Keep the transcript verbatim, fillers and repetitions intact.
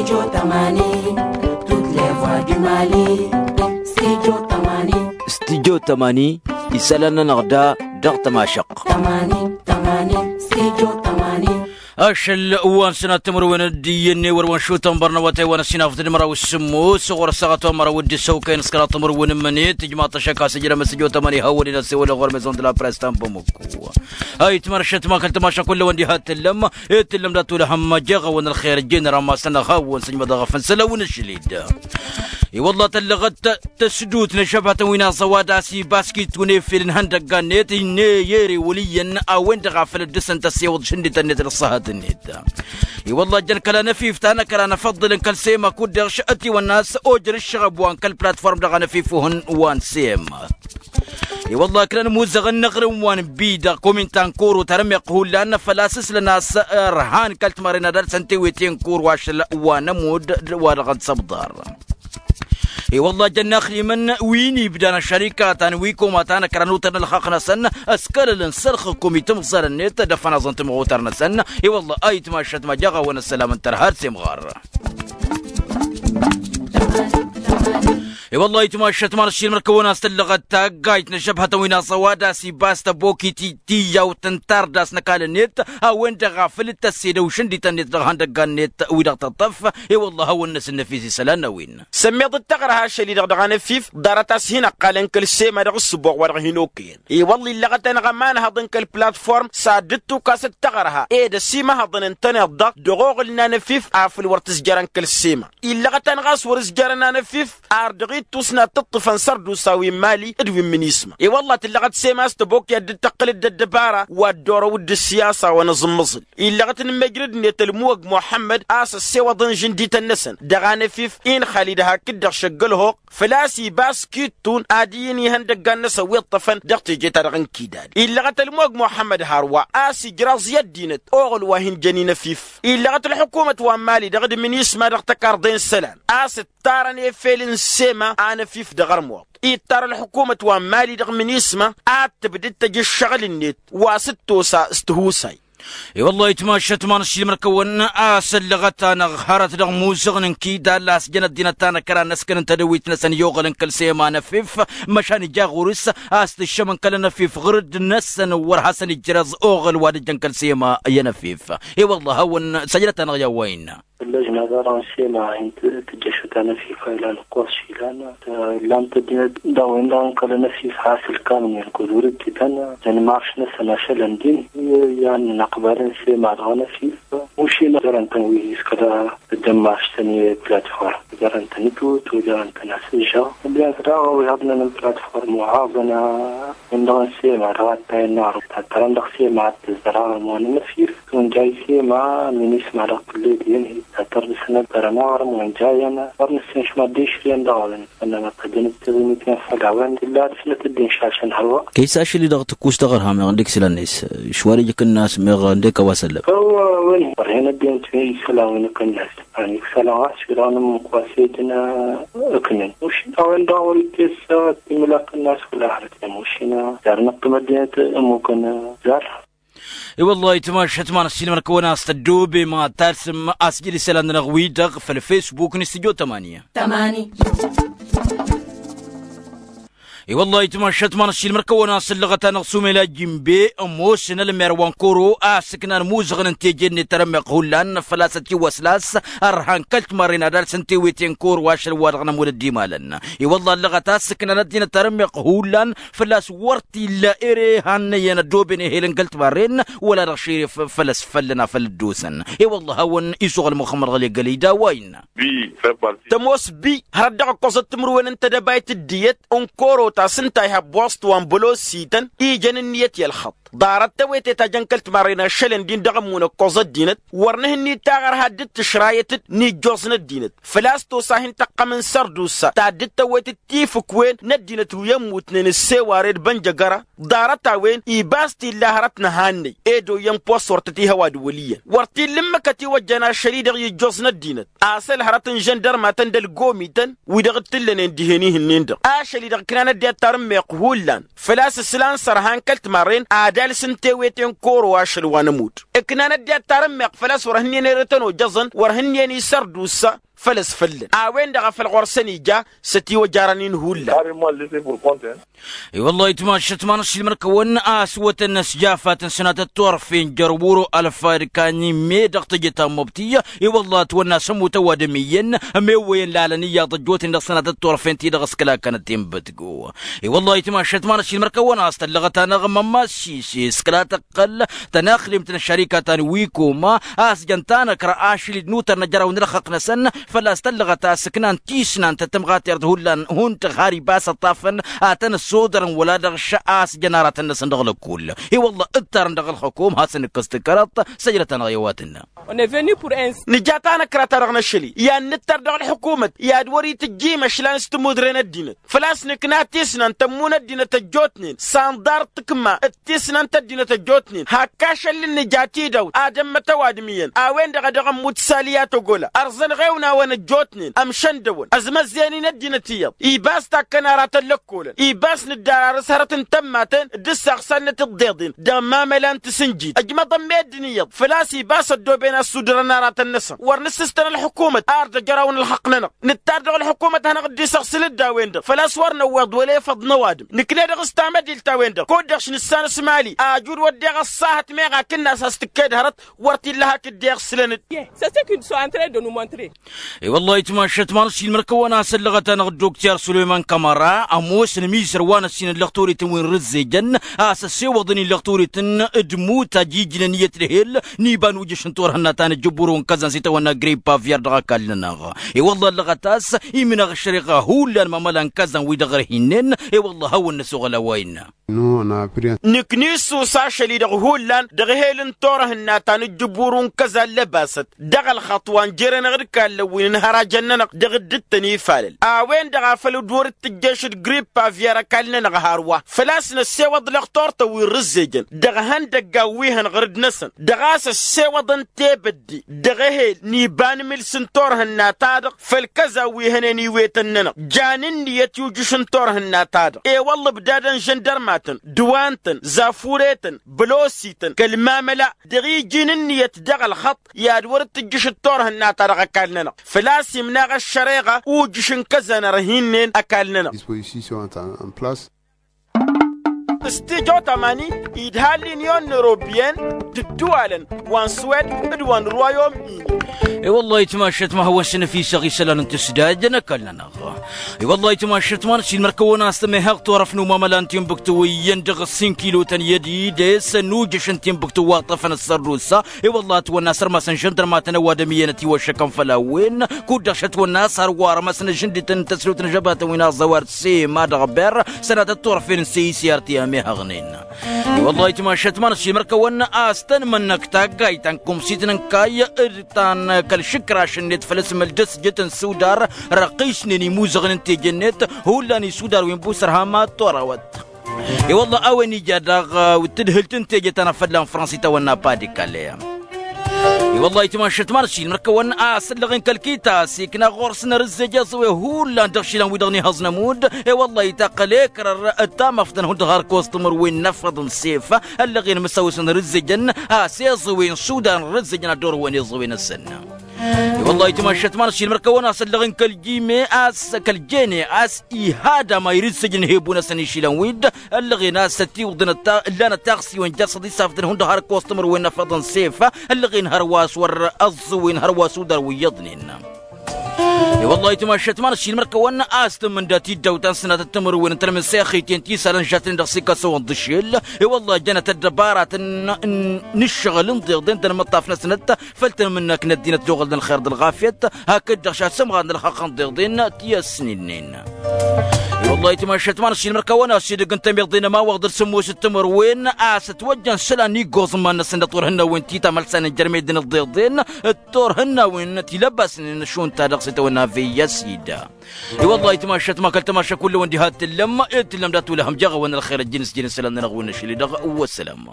Studio tămani. Studio tămani. Isălan-nănăɣ da dăɣ-tămašăɣt. Ašăl wa n-sănat timǝrwen d-iyyăn n-ewăr wa n-šutăn bărnăwătay wa n-ăsinafăt d-măraw s-sǝmmos ɣur-ăssaɣăt wa n-măraw d-isăwkăyăn s-kăraḍ timǝrwen n-imǝnet ijmaḍ-t ăššăk a-s ǝjrăm s-ăjo tămani hawăn-in ăssewăl ɣur-mezon d-la press ta n-bamăkku. Ayǝtmăr ăššătma kăl-tămaša kull-ăwăn diha t-tǝllăm. Ed tǝllăm dat-olăhăm jeɣ-awăn ălxer ǝjjen rămas-nănăɣ hawăn-sǝjmăḍăɣ făn-săl-awăn ašăl-dd. I-wălla tăllăɣăt tăsdut n-ăžžăbhătăn wi n-aẓăwad a-s ibaskit-tun efel n-ihăndăgga-net ine i-ere wăl' iyyăn a-wen-dăɣ a făl dd-săn tăssewăḍ šǝndităn-net d-ăṣṣăhăt-net. I-wălla ăjjăn kăla năfif ta n-ăkra năfăḍḍǝlăn kăl-sema kud-dăɣ š-ătiwănna a-s ojăr ǝššăɣăb wa n-kăl-platform dăɣ-anăfif-uhǝn wa n-sema. I-wălla ǝkrăn imuzăɣăn n-aɣrǝm wa n-bi-dăɣ komin ta n-koro tarămeɣt hullan făl-a-s ǝslăn a-s ărhan kăl-timarren ad-alsăn tewete n-koro ašăl wa n-ămudd wa dăɣ-dd-săbḍar. I-wălla jăn inaxrimăn wi n-ibdan ăššărika ta n-wi koma ta n-ăkra n-utăr n-ălxaqq-năsăn ăskălălăn sălxǝkkum itamẓălăn-net dăfăn aẓăn timɣutar-năsăn. I-wălla ayǝtmašăt ma jaɣ-awăn ăssălam n-tărha d-semɣar. I-wălla ayǝtmašăt ma n-ašilmăr kăwăn-as tǝllăɣăt taggayt n-ăžžăbhătăn wi n-aẓăwad a-s ibas tăbokit tiyyawt n-tardas n-ăkall-net a-wen-dăɣ a făl dd-tăssedăw šǝndităn-net dăɣ-ihăndăggan-net wi-dăɣ tăṭṭăf. I-wălla a hawăn-năsǝnnăfis isălan n-a-wen. Sămmeḍ d-taɣrăha ašăl-i-dăɣ dăɣ-anăfif ḍarăt a-s hin-ăqqalăn kăl-sema dăɣ-ǝssǝboɣ wa dăɣ-hin-okăyăn. I-wălla illăɣăt-anăɣ ămanhăḍ n-kăl-platform s-ad-dd-tukas d-taɣrăha ed ăsimăhăḍăn ǝntăneḍ-dăɣ dăɣ-oɣǝl n-anăfif afăl wăr t-ǝzjărăn kăl-sema. Illăɣăt-anăɣ a-s wăr-ǝzjărăn anăfif ar dăɣ-ittus n-ad-tǝṭṭǝfăn sărdusa wi n-mali d-wi n-minisma. I-wălla tǝllăɣăt sema a-s tăbokya dd-tăqqǝl d-ăddăbara wa dd-orăw d-ǝssiyasa wa n-aẓǝmmăẓǝl. Illăɣăt n-imăjrǝd-net ălmuwăg muḥămmăd a-s ăssewăḍăn žǝndităn-năsăn dăɣ-anăfif inxalid hakd-dăɣ šăgg ălhoɣ făl-a-s ibas kittun ad-iyyǝn ihăndăggan-năsăn wi ǝṭṭăfăn dăɣ-teje-ta-dăɣ n-kidad. Illăɣăt ălmuwăg muḥămmăd hărwa a-s ijraẓ i-ăddinăt oɣǝl wa hin-jăn inăfif. Illăɣăt ălḥukumăt wa n-mali dăɣ-dd-minisma dăɣ-tăkarḍe n-isălan a-s ǝttarăn efel n-sema anăfif dăɣ-ărmuḍ. Ittar ălḥukumăt wa n-mali dăɣ-minisma ad-tǝbdǝd tăj ǝššăɣǝl-net wa s-dd-tosa s-tihusay. I-wăllah itmašăt ma n-ăššilmăr-kăwăn a-s ăllăɣăt-anăɣ hărăt dăɣ-imuzăɣăn n-kidal a-s jăn ăddinăt ta n-ăkra n-ăskănăn tadăwit-năsăn i-oɣălăn kăl-sema anăfif. Măšan ija ɣur-s a-s tǝššămăn kăl-anăfif ɣǝr-dd-năsăn wăr hasăn-ijrăẓ oɣăl wa d-ǝjjăn kăl-sema i-anăfif. I-wăllah a hawăn-săjdăt-anăɣ i-a-wa innă. Ăllăžna dăɣ-dăɣ n-sema hin-tǝjjăšăt anăfif a ilan ǝkkoẓ išilan. Ǝllam-t ăddinăt dăɣ-wen-dăɣ n-kăl-anăfif has-ǝlkam n-inkuzur ǝjjǝtăn. Dănmarš-năsăn ašăl ăndin i-ad-nănăqbal n-sema dăɣ-anăfif. Ušin ăzzărăn-tăn wi s-kăla ăddănmarš-tăn i-platform ăzzărăn-tăn ǝjut ojărăn-tăn asǝžžăɣ. Ăddinăt daɣ ăwihăḍnen n-platform wa haḍăn. Wen-dăɣ n-sema dăɣ-attayăn n-arǝw tattărăn dăɣ-sema ad-tǝzzăr aɣrǝm wa n-anăfif. Tunjay sema minisma dăɣ-tǝllet iyyăn hi-tattăr dăɣ-săn ăddărăn aɣrǝm wa n-jayăn. Wăr nǝssen šmad d-išrǝyăn dăɣ-a-wen. Ănnănăt ăjăn d-tiɣimit i-ad-făl a-wen illa ad-dăr-snăt dd-inšašăn hălwa. Kăy-s ašăl-i-dăɣ tǝkkus taɣărha meɣ ǝndek isălan-net šwar ija akǝnnas meɣ ǝndek a-wa s-ăllăɣ. Ăwwa a-wen wăr hen ăddinăt wi n-isălan wi n-akǝnnas. Ani isălan ɣas wi-dăɣ nǝmmuk wa s-ejăn ǝknǝn ušin a-wen-dăɣ wăr-ittess timǝla akǝnnas wăla hărăt i-mušin. Dar năqqǝm ăddinăt ămmukăn. Zar. I-wăllah itmašăt ma n-ăssiilmăr-kăwăn a-s tăddoobem ad-talsǝm a-s jăl isălan-nănăɣ-wi-dăɣ făll-facebook n-studio tămani. I-wăllah itmašăt ma n-ăssiilmăr-kăwăn a-s ăllăɣăt-anăɣ sumel ajimbe ămoosăn ălmer wa n-koro a ăssǝknan imuzăɣăn n-teje-net tarămmeɣt hullan făl-a-s ătiwăsla a-s ărhan kăl-timarren ad-alsăn tewete n-koro ašăl wa dăɣ-nămud ăddimalăn. I-wăllah ăllăɣăt a ăssǝknan ăddinăt tarămmeɣt hullan făl-a-s wăr t-illa ere hannăyăn ăddooben ehel n-kăl-timarren wăla dăɣ-šeref făll-ăsfăllăn a făl dd-osăn. I-wăllah a hawăn-isuɣǝl muxămmăd ɣăli ăgg-ălida wa innă. Tămoos bi hărăt dăɣ-ǝkkoẓăt timǝrwen n-tedăbayt d-iyyăt n-koro ta s-ǝnta ihăb wăsṭ wa n-bălosităn ijăn ǝnniyăt i-ălxăṭṭ. Ḍarăt tewete ta jăn kăl-timarren ašăl ǝndin dăɣ-ămmun ǝkkoẓ ăddinăt wăr nǝhǝnnit taɣărha dd-tǝšrayăt-dd n-ijjoẓ n-ăddinăt făl-a-s tosa hin-tăqqăm n-sărdusa ta dd-tăwwet d-tifǝkwen n-ăddinăt wi ămmutnen ǝsseware d-bănjăgăra. Ḍarăt-a-wen ibas t-illa hărăt n-ehannăy ed oyyăn post wăr tăt-ihăw ad-wăl' iyyăn wăr t-illa ǝmmǝk ătiwăjjan ašăl-i-dăɣ i-ijjoẓ n-ăddinăt. A-s ălhărăt n-žăndărmatăn d-ălgomităn wi-dăɣ t-tǝllănen dihen-i-hǝnnin-dăɣ ašăl-i-dăɣ ǝknan ăddinăt tarǝmmeɣt hullan făl-a-s ǝslan s-ărhan kăl-timarren ad ad-talsǝn tewete n-koro ašăl wa n-ămudd. Ǝknan ăddinăt tarǝmmeɣt făl-a-s wăr hǝnniyăn erătăn ojăẓăn wăr hǝnniyăn isărdusa făl-ăsfăllăn a-wen-dăɣ a făl ɣur-săn ija s-ătiwăjarăn-in hullan. I-wălla itmašăt ma n-ăššilmăn-kăwăn a ăswătăn s-jafatăn sănatăt turfen jer-wuro ălfayăd kanimme dăɣ-teje ta n-mobti. I-wălla ătwănna s-ămmut ăwadǝm iyyăn ămewăyăn lalăn iyyăḍ ăjjootnen dăɣ-sănatăt turfen-ti-dăɣ s-kăla kănăt-in bătgo. I-wălla itmašăt ma n-ăššilmăn-kăwăn a-s tăllăɣăt-anăɣ mămmas šise s-kăla tăqqăl tănaxrimt n-ăššărika ta n-wikoma a-s jăn tanăkra ašăl-dd n-utăr n-ăjraw n-ălxăqq-năsăn. Făl-a-s tăllăɣăt a-s ǝknan tisnant tămɣatert hullan hundăɣ har ibas ăṭṭafăn ad-tăn-ăssodărăn wăla dăɣ-š a-s jăn aratăn-năsăn dăɣ-lăkkull. I-wălla ǝttarăn dăɣ-ălxăkum hasăn-ǝkkăs tǝkkărăḍt. Săjdăt-anăɣ i-a-wa tǝnnă. Nǝja tanăkra-ta-dăɣ n-ašăl-i i-ad-nǝttăr dăɣ-ălḥukumăt i-ad-wăr-itǝjjim ašlan s-tămudre n-ăddinăt. Făl-a-s nǝkna tisnant tămmu n-ăddinăt ăjjootnen s-anḍar d-tǝkma d-tisnant ăddinăt ăjjootnen hakk ašăl n-nǝja tidawt ad-ămmăt ăwadǝm iyyăn a-wen-dăɣ a dăɣ-ămmut saliya tăgola ărẓăn iɣewnawăn ăjjootnen ămšăndăwăn ăzmăzzeyăn-in ăddinăt iyyăḍ. Ibas takkăn aratăn lăkkolăn ibas nǝddararăs hărăt n-tămmaten d-ǝssaɣsannăt iḍḍeḍen dăɣ-mamăla n-tǝsǝnjit ăjmăḍăn meddǝn iyyăḍ făl-a-s ibas ăddooben a ăssudărăn aratăn-năsăn wăr nǝssǝstăn ălḥukumăt ar d-ăjraw n-ălxăqq-nănăɣ. Nǝttar dăɣ-ălḥukumăt ad-hanăɣ-dd-isăɣsǝl-dd a-wen-dăɣ făl-a-s wăr năwweḍ wăla efăḍ n-ăwadǝm. Nǝkna dăɣ-s tamădilt a-wen-dăɣ kud-dăɣ š-nǝssanăs mali ajud wădden ăṣṣahăt meɣ akǝnnas a-s tǝkked hărăt wăr t-illa hak dd-iɣsǝlăn-dd. I-wălla itmašăt ma n-ăššilmăn-kăwăn a-s ăllăɣăt-anăɣ dd-okter sulăyman kămăra ămoosăn ămizăr wa n-ăssinăn lăxturităn wi n-rǝzzejăn a-s ăssewăḍăn-in lăxturităn d-imutaj ijnăn iyyăt d-ehel n-iba n-ujǝš n-turhǝnna ta n-ǝjjǝbburu n-kăzan s-itawănna grip avyar dăɣ-ăkall-nănăɣ. I-wălla ăllăɣăt a-s imnăɣ ăššăreɣa hullan mamăla n-kăzan wi-dăɣ ărhinnen. I-wălla hawăn-năsoɣăl a-wa innă. Nǝkna issus ašăl-i-dăɣ hullan dăɣ-ehel n-turhǝnna ta n-ǝjjǝbburu n-kăzan lăbasăt dăɣ-ălxaṭṭ wa n-jere-năɣ d-kallăn wi n-inhărajăn-nănăɣ dăɣ-dd-tăn-ifalăl a-wen-dăɣ a făl dd-wăr-dd tǝjješ d-grip avyar ăkall-nănăɣ hărwa făl-a-s năssewăḍ lăxtur-tăn wi n-rǝzzejăn dăɣ-ihăndăggan wi hăn ɣǝrǝd-năsăn dăɣ-a-s ăssewăḍăn tebădde dăɣ-ehel n-iba n-imǝls n-turhǝnna-ta-dăɣ făll-kăza wi hănen iwetăn-nănăɣ jan ǝnniyăt i-ujǝš n-turhǝnna-ta-dăɣ. I-wălla ǝbdadăn žăndărmatăn d-wa ǝntăn zafuretăn bălosităn kăl-mamăla dăɣ-iji n-ǝnniyăt dăɣ-ălxăṭṭ i-ad-wăr-dd-tǝjjǝš d-turhǝnna-ta-dăɣ ăkall-nănăɣ. Făl-a-s imnaɣ ăššăreɣa ujǝš n-kăzăn ărhinnen ăkall-nănăɣ. S-tijot amani idha l-inyon n-europyen d-ǝddǝwalăn wa n-swed d-wa n-royom-ini. I-wăllah itmašăt ma hawăn-săn ăfisăɣ isălan n-tǝsdajăn ăkall-nănăɣ. I-wăllah itmašăt ma n-ăsiilmăr-kăwăn a-s tămehăɣ turăf n-umamăla n-timbuktu iyyăn dăɣ-ǝssin kilotăn i-ădides n-ujǝš n-timbuktu wa ǝṭṭăfăn ăssărdusa. I-wăllah ătwănna a-s ărmasăn žăndărmatăn ăwadǝm iyyăn ătiwăššăkăn făll-a-wen kud-dăɣ šătwănna a-s hărwa ărmăsăn ažǝndităn n-tăsrut n-žăbatăn wi n-aẓăwar sema dăɣ-ber sănatăt turăfen n-seyis i-artiyăm ihăɣnen. I-wăllah itmašăt ma n-ăsiilmăr-kăwăn a-s tăn-mănnăk taggayt ta n-kumsit n-ǝnkay d-ta n-kăl-išǝkraš-net făll-asǝmǝl d-ăsjăt n-sudar răqqisnen imuzăɣăn n-teje-net. Hullan isudar wi n-busărhama torăwăt. I-wăllah a-wen ija daɣ tǝdhǝlt n-teje ta n-afălla n-frăns itawănna padikale. I-wăllah itmašăt ma n-ăsiilmăr-kăwăn a-s ăllăɣen kăl-kitas ikna ɣur-s n-arǝzzej iẓǝwe hullan dăɣ-išilan wi-dăɣ n-ihăẓ n-ămudd. I-wăllah itaqqăl ekrăr d-tamăftăn hundăɣ har kostumăr wi n-afăḍ n-sef ăllăɣen măsawăs n-arǝzzejăn a-s iẓǝwe n-sudan n-arǝzzejăn ad-dd-orăwăn iẓǝwe-năsăn. I-wăllah itmašăt ma n-ăsiilmăr-kăwăn a-s ăllăɣen kăl-jime a-s kăl-jene a-s ihadam a irǝzzejăn hebu-năsăn išilan wi-dd ăllăɣen a-s ătiwǝḍăn ǝllan ătaɣsiwăn jer-săḍisafătăn hundăɣ har kostumăr wi n-afăḍ n-sef. Ăllăɣen hărwa a-s wăr ăẓẓǝwen hărwa s-udar wi iyyăḍnen. I-wăllah itmašăt ma n-ăsiilmăr-kăwăn a-s tǝmmǝnda tiddawt ta n-sănatăt timǝrwen n-tălmǝnsexiten ti isalăn žatnen dăɣ-s ikasăwăn d-ašel. I-wăllah jănăt ăddăbaratăn n-ǝššăɣǝl n-iḍeḍen d-ănmăṭṭaf-năsnăt făll-tăn-mǝnnăk n-ăddinăt d-oɣăl n-ălxer d-ălɣafyăt. Hakd-dăɣ šasǝmɣan n-ălxăqq n-iḍeḍen ti ăsnilnen. I-wăllah itmašăt ma n-ăsiilmăr-kăwăn a-s edăgg n-temiḍe n-ămawăɣ d-ălsǝmmos d-timǝrwen a-s ătwăjjăn isălan n-iggoẓ n-iman-năsăn d-turhǝnnawen ti tamălsanen jer-medden d-iḍeḍen d-turhǝnnawen ti lăbasnen šund ta dăɣ-s itawănna veyya sida. I-wăllah itmašăt ma kăl-tamaša kull-wăn diha t-tǝllăm ed tǝllăm dat-wăla hăm jaɣ-awăn ălxer ăjjǝn s-jǝn isălan-nănăɣ wi n-ašăl-i-dăɣ. Wăssălam.